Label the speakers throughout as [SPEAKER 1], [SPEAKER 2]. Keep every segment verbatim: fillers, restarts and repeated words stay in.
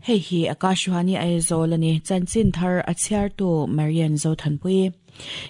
[SPEAKER 1] Hei hi Akashvani Aizawl ani chanchin thar a chhiartu Marian Zothanpui.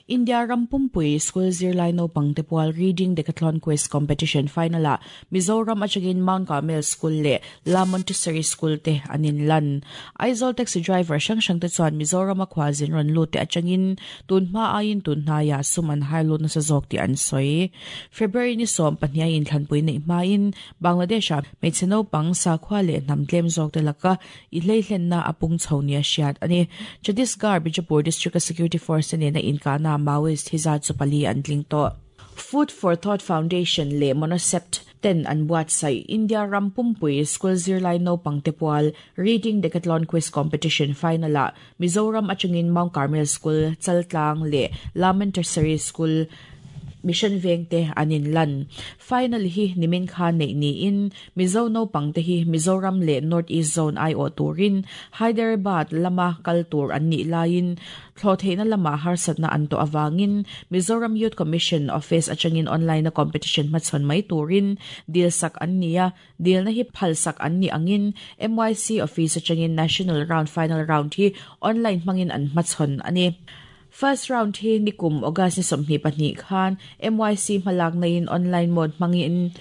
[SPEAKER 1] India Rampumpui School Zirlai Naupang te pual Reading Decathlon Quiz Competition Final ah Mizoram atangin Mount Carmel School leh La Montessori School te an in lan. Aizawl taxi driver hrang hrang te chuan Mizoram a khualzin rawn lut te atangin tun hma aiin tun hnaiah sum an hai lut nasa zawk tih an sawi. February ni sawm pahnih a inthlanpui neih hmain Bangladesh ah hmeichhe naupang sakhua leh hnam tlem zawk te laka i hleihlenna a pung chho nia hriat a ni. Chhattisgarh Bijapur District a Security Force te nena inkahna Maoist hi zat chu pali an tling tawh. Food for Thought Foundation leh Monocept ten an buatsaih India Rampumpui School Zirlai Naupang te pual Reading Decathlon Quiz Competition Final ah Mizoram atangin Mount Carmel School, Chaltlang leh La Montessori School, Mission Veng te an in lan. Final hi nimin khan neih niin Mizo naupang te hi Mizoram leh North East Zone aiawh turin Hyderabad lama kal tur an nih laiin thlawhtheihna lama harsatna an tawh awangin Mizoram Youth Commission Office atangin online a competition hmachhawn mai turin dil sak an ni a, dilna hi phal sak an ni angin M Y C Office atangin National Round Final Round hi online hmangin an hmachhawn a ni. First round hi nikum August ni sawmhnih pahnih khan M Y C hmalak naiin online mode hmangin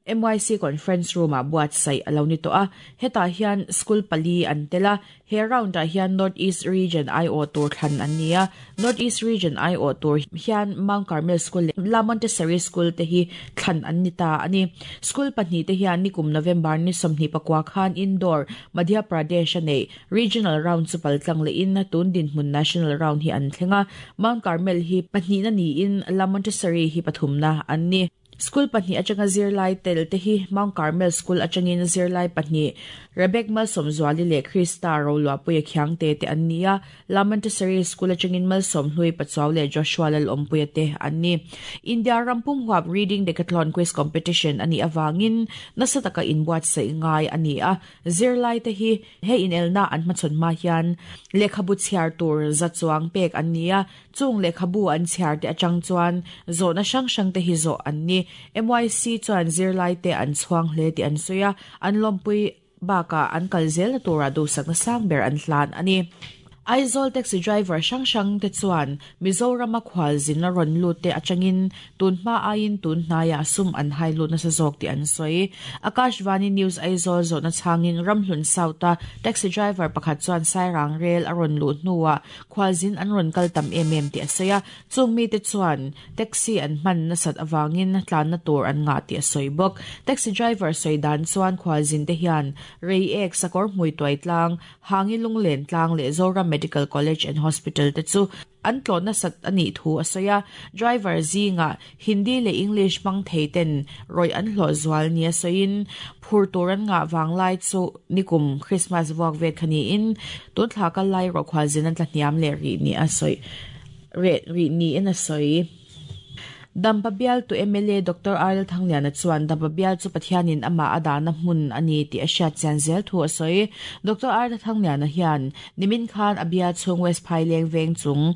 [SPEAKER 1] M Y C conference room ah buatsaih a lo ni tawh a. Hetah hian school pali an tel a, he round ah hian North East Region aiawh tur thlan an ni a. North East Region aiawh tur hian Mount Carmel School leh La Montessori School te hi thlan an ni ta a ni. School pahnih te hian nikum November ni sawmhnih pakua khan Indore, Madhya Pradesh a nei regional round chu paltlang lehin tun dinhmun national round hi an thleng a. Mount Carmel hi pahnihna niin La Montessori hi pathumna an ni. School pahnih atanga zirlai tel te hi Mount Carmel School atangin zirlai pahnih Rebecca Malsawmzuali leh Krista Roluahpuia Khiangte te an ni a. La Montessori School atangin Malsawmhlui Pachuau leh Joshua Lalawmpuia te an ni. India Rampum Huap Reading Decathlon Quiz Competition ani awangin nasa taka inbuatsaih ngai a ni a. Zirlai te hi he inelna an hmachhawn hma hian lehkhabu chhiar tur za chuang pek an ni a. Chung lehkhabu an chhiar te atang chuan zawhna hrang hrang te hi zawh an ni. M Y C chuan zirlai te an chhuang hle tih an sawi a, an lawmpui bakah an kal zel na tura duhsakna sang ber an hlan a ni. Aizawl taxi driver hrang hrang te chuan Mizoram a khualzin a rawn lut te atangin tun hma aiin tun hnaiah sum an hai lut nasa zawk tih an sawi. Akashvani News Aizawl zawhna chhangin Ramhlun South a taxi driver pakhat chuan Sairang rel a rawn lut hnuah khualzin an rawn kal tam em em tih a sawi a. Chung mi te chuan taxi an hman nasat awangin tlanna tur an ngah tih a sawi bawk. Taxi driver sawi dan chuan khualzin te hian rei ek sakawr hmui tuai tlang, hangi lunglen tlang leh Zoram Medical College and Hospital te chu an tlawhna sat ani thu a sawi a. Driver zinga Hindi leh English hmang thei ten rawi an hlawh zual nia sawiin phur tur an ngah wanglai chu nikum Christmas vuak vet khani in tun thla kal lai ro khualzin an tla hniam leh ri ni a sawi re ri ni in a sawi. Dampa bial tu M L A Doctor R L Thangliana chuan Dampa bial chu Pathianin ama adana hmun ani tih a hriat chian zel thu a sawi. Doctor R L Thangliana hian nimin khan a bial chhung West Phaileng veng chung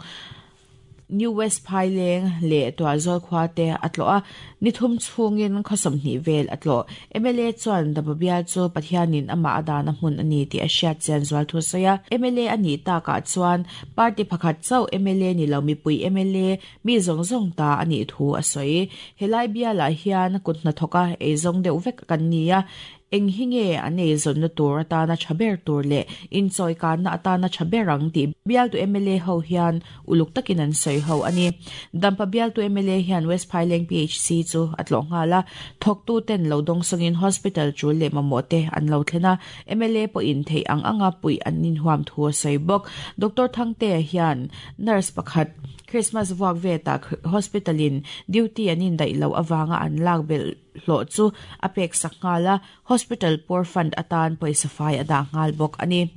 [SPEAKER 1] New West Phaileng leh Tuahzawl khua te a tlawh a, nithum chhungin khawsawmhnih vel a tlawh. M L A chuan Dampa bial chu Pathianin ama adana hmun ani tih a hriat chian zual thu a sawi a. M L A ani takah chuan party pakhat chauh M L A ni lo mipui M L A mi zawng zawng ta ani thu a sawi. Helai bialah hian kut hnathawka eizawng deuh vek kan ni a, eng hi nge an eizawnna tur atana tha ber tur leh inchawi kanna atana tha ber ang tih bial tu M L A ho hian uluk takin an sawi ho ani. Dampa bial tu M L A hian West Phaileng P H C chu a tlawh nghal a, thawktu ten lo dawng sawngin hospital tul leh mamawh te an lo thlen a. M L A pawhin theih ang anga pui an inhuam thu a sawi bawk. Doctor Thangte hian nurse pakhat Christmas vuak veta hospital in duty an in daih lo awanga an lak bel hlawh chu a pek sak nghal a, hospital poor fund atan pawisa fai a dah nghal bawk ani.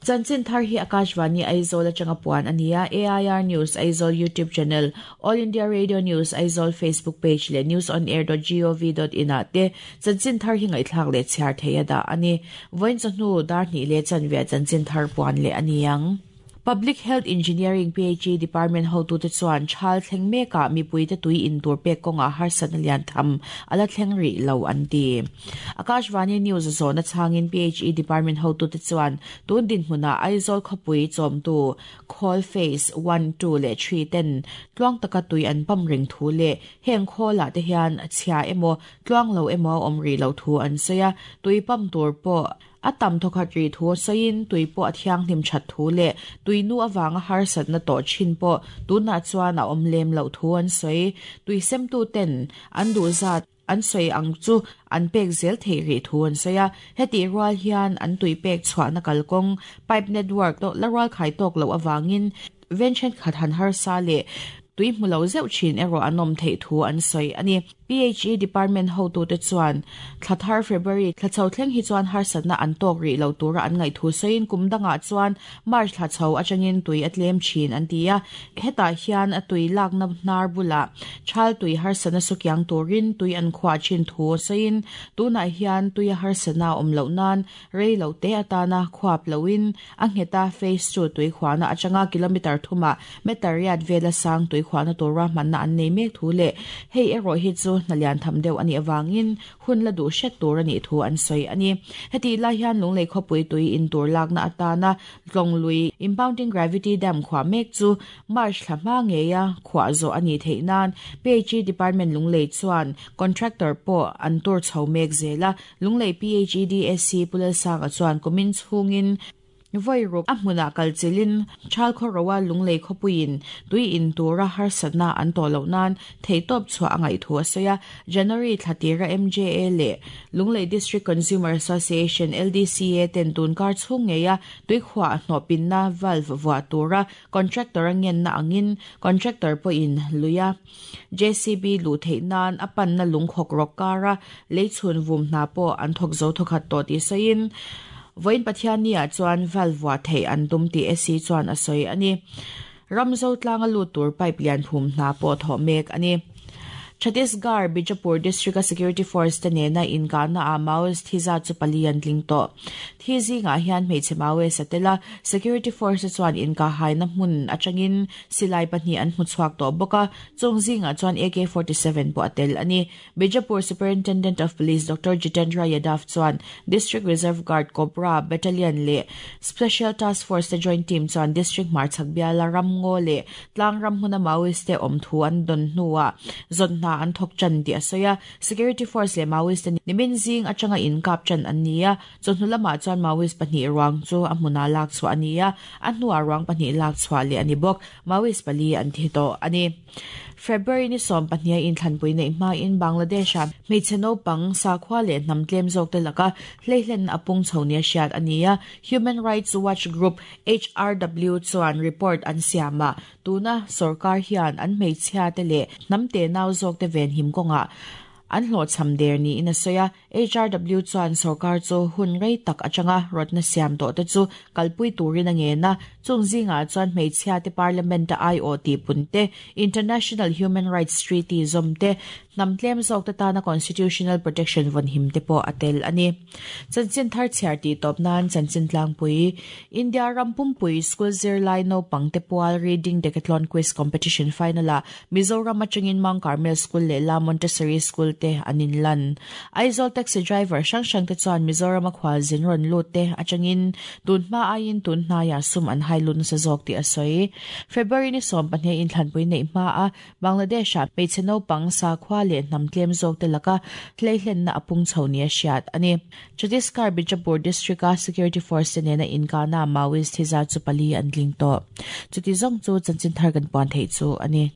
[SPEAKER 1] Chanchin thar hi Akashvani Aizawl atanga puan ania. A I R News Aizawl YouTube channel, All India Radio News Aizawl Facebook page leh news on air dot gov dot in ah te chanchin thar hi ngaihthlak leh chhiar thei a dah ani. Vawiin chawhnu dar hnih leh chanve chanchin thar puan leh ani ang. Public Health Engineering P H E Department hotu te chuan thal thleng meka mipui te tui in tur pek konga harsat na lian tham ala thleng ri lo an ti. Akashvani News zona changin P H E Department hotu te chuan tun din hmuna Aizawl khawpui chawm tu call phase one two le three ten tluang taka tui an pam ring thu le heng khola te hian chhia emo tluang lo emo om ri lo thu an soya tui pam tur po atam thokhat ri thu sain tui po athiang hnim that thu le tui nu awanga harsat na to chin po tuna chuan a om lem lo thu an soi tui sem tu ten an du zat an soi ang chu an pek zel thei ri thu an soya heti rual hian an tui pek chhuah na kalkong pipe network to laral khai tok lo awangin venchen khat han har sa le tui hmulo zeuh chin ero anom thei thu an soi ani. P H E Department ho tu te chuan thlathar February thlachho thleng hi chuan harsatna an tok ri lo tura an ngai thu soin kumdanga chuan March thlachho atangin tui atlem chin an tia heta hian a tui lak na hnar bula thal tui harsana sukyang turin tui an khwa chin thu soin tuna hian tui harsana om lo nan rei lo te atana khwap loin a ngheta phase two tui khwana atanga kilometer thuma metariat vela sang tui khwana tura manna an nei mek thu le hei ero hi chu nalian tham deuh ani awangin hun la du hret tur ani thu an soi ani. Heti la hian lunglei khawpui tui in tur lak na atana tlonglui impounding gravity dam khwa mek chu March thlama ngeya khwa zo ani theinan P H E Department lunglei chuan contractor po an tur chho mek zela lunglei P H E D S C pulal sang a chuan kumin chhungin voiruk a hmuna kalchilin thal khorowa lunglei khopuin tui in tura harsatna an to lo nan theitop chua angai thu asoya January thlatira M J A le Lunglei District Consumer Association L D C A ten tun kar chung ngeya tui khwa hnopin na valve wa tura contractor ngen na angin contractor po in luya J C B lu theinan apan na lungkhok rokara leichun vum na po an thok zo thokhat to ti soin voin pathiania chuan valve thei an tum ti S C chuan a soi ani. Ramzo tlanga lu tur pipe lian phum na po tho mek ani. Chhattisgarh Bijapur District Security Force te nena inkana a Maoist thiza chu palian tling to thizi nga hian hmeichhe Maoist atela Security Force chuan inka haina hmun atangin silai pahnih an hmuchhuak to boka chungzi nga chuan A K forty-seven po atel ani. Bijapur Superintendent of Police Doctor Jitendra Yadav chuan District Reserve Guard Cobra Battalion le Special Task Force te joint team chuan District Marchak Biala Ramngo le tlang ram hmuna Maoist te om thu an don hnuwa zon na an thok chan ti asoya Security Force le Maoist nimin zing atanga in kap chan ania chonhu lama chuan Maoist pahnih ruang chu a hmuna lak chu ania a hnuah ruang pahnih lak chhuah le ani bawk Maoist pali an thi to ani. February ni som pahnih in thlanpui nei hma in Bangladesh a hmeichhe naupang sakhua leh hnam tlem zawk te laka hleihlen a pung chho nia hriat ania Human Rights Watch Group H R W chuan report an siama tuna sarkar hian an hmeichhia te leh hnam te nau zawk te ven him konga an hlo cham der ni in asoya H R W chuan sarkar chu hun rei tak atanga rotna siam to te chu kalpui turin ange na chungzinga chuan hmeichhia te parliament a I O T punte International Human Rights Treaty zomte namtlem zawk te tana constitutional protection von him te po atel ani. Chanchin thar chhiar ti top nan chanchin tlangpui India rampumpui school zirlai no pangte pual reading decathlon quiz competition final a Mizoram atangin Mount Carmel School le La Montessori School te anin lan. Aizawl taxi driver sang sang te chuan Mizoram a khwal zin ron lut te atangin tun hma aiin tun hnaiah sum an hailun sa zawk ti a sawi. February ni sawm pahnih in thlanpui nei hma a Bangladesh a hmeichhe naupang sakhua leh hnam tlem zawk te laka hleihlenna a pung chho nia hriat ani. Chhattisgarh Bijapur District a Security Force te nena inkana Maoist thiza chu pali an tling tawh. Chuti zawng chu chanchin thar kan puan theih chu ani.